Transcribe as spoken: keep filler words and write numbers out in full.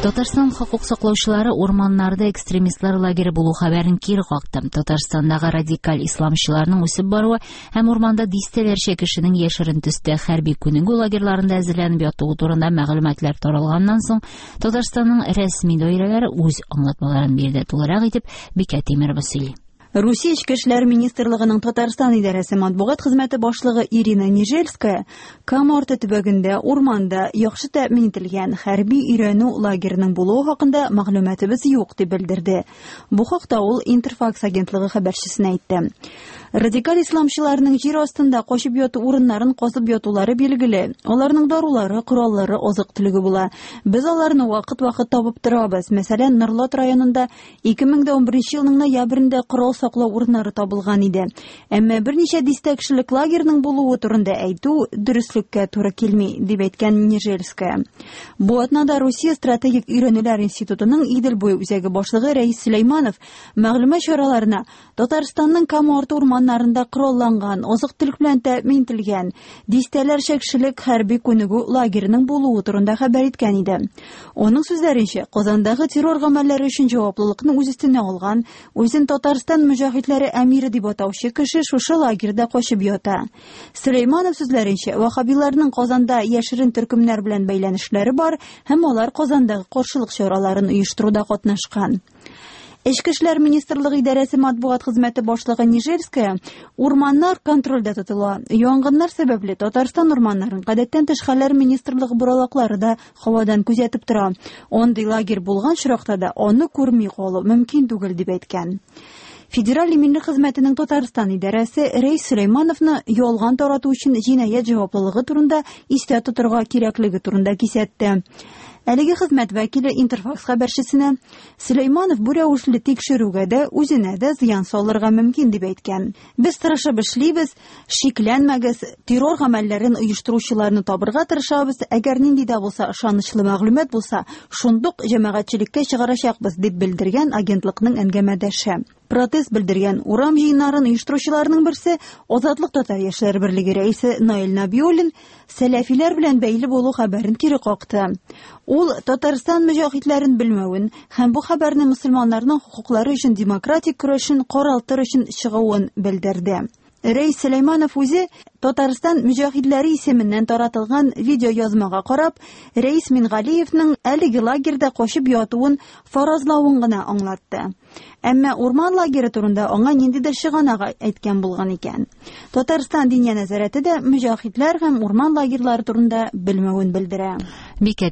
Татарстан хокук саклаучылары урманнарда экстремистлар лагере булу хәбәрен кире какты. Татарстандагы радикаль исламчыларның үсеп баруы һәм урманда дистәләрчә кешенең яшерен төстә хәрби күнегү лагерьларында әзерләнеп ятуы турында мәгълүматлар таралганнан соң Татарстанның рәсми даирәләре үз аңлатмаларын бирде. Тулырак итеп Бикә Тимирова сөйли. Русия Эчке эшләр министрлыгының Татарстан идарәсе матбугат хезмәте башлыгы Ирина Нижельская Кама арты төбәгендә урманда яхшы тәэмин ителгән хәрби өйрәнү лагерының булуы хакында мәгълүматыбыз юк дип белдерде. Бу хакта ул Интерфакс агентлыгы хәбәрчесенә әйтте. Радикаль исламчыларның җир астында качып яту урыннарын казып ятулары билгеле. Аларның дарулары, кораллары, азык-төлеге була. Без аларны вакыт-вакыт табып торабыз. Мәсәлән, Норлат районында ике мең дә унберенче елның ноябрендә корал саклау урыннары табылган иде. Әмма берничә дистә кешелек лагерьның булуы турында әйтү дөреслеккә туры килми, дип әйткән Нижельская. Бу атнада Русия стратегик өйрәнүләр институтының Идел буе үзәге башлыгы Рәис Сөләйманов мәгълүмат чараларына Татарстанның Кама арты урманнарында коралланган, азык-төлек белән тәэмин ителгән дистәләрчә кешелек хәрби күнегү лагерының булуы турында хәбәр иткән иде. Аның сүзләренчә, Казандагы террор гамәлләре өчен җаваплылыкны үз өстенә алган, үзен Татарстан мөҗаһидләре әмире дип атаучы кеше шушы лагерьда качып ята. Сөләйманов сүзләренчә, ваххабиларның Казанда яшерен төркемнәр белән бәйләнешләре бар һәм алар Казандагы каршылык чараларын оештыруда катнашкан. Эчке эшләр министрлыгы идарәсе матбугат хезмәте башлыгы Нижельская урманнар контрольдә тотыла. Янгыннар сәбәпле Татарстан урманнарын гадәттән тыш хәлләр министрлыгы боралаклары да һавадан күзәтеп тора. Андый лагерь булган очракта да аны күрми калу мөмкин түгел дип әйткән. Федераль иминлек хезмәтенең Татарстан идарәсе Рәис Сөләймановны ялган тарату өчен җинаять җаваплылыгы турында истә тотырга кирәклеге турында кисәтте. Әлеге хезмәт вәкиле Интерфакс хәбәрчесенә Сөләйманов бу рәвешле тикшерүгә дә үзенә дә зыян салырга мөмкин дип әйткән. Без тырышып эшлибез, шикләнмәгез, террор гамәлләрен оештыручыларны табырга тырышабыз. Әгәр нинди дә булса ышанычлы мәгълүмат булса, шундук җәмәгатьчелеккә чыгарачакбыз дип белдергән агентлыкның әңгәмәдәше. Протест белдергән урам җыеннарын оештыручыларның берсе Азатлык татар яшьләр берлеге рәисе Наил Набиуллин сәләфиләр белән бәйле булу хәбәрен кире какты. Ул Татарстан мөҗаһидләрен белмәвен һәм бу хәбәрне мөселманнарның хокуклары өчен демократик көрәшен каралтыр өчен чыгуын белдерде. Рәис Сөләйманов үзе Татарстан мөҗаһидләре исеменнән таратылган видеоязмага карап, Рәис Мингалиевның әлеге лагерьда качып ятуын фаразлавын гына аңлатты. Әмма урман лагере турында аңа ниндидер чыганак әйткән булган икән. Татарстан Диния нәзарәте дә мөҗаһидләр һәм урман лагерьлары турында белмәвен белдерә. Бикә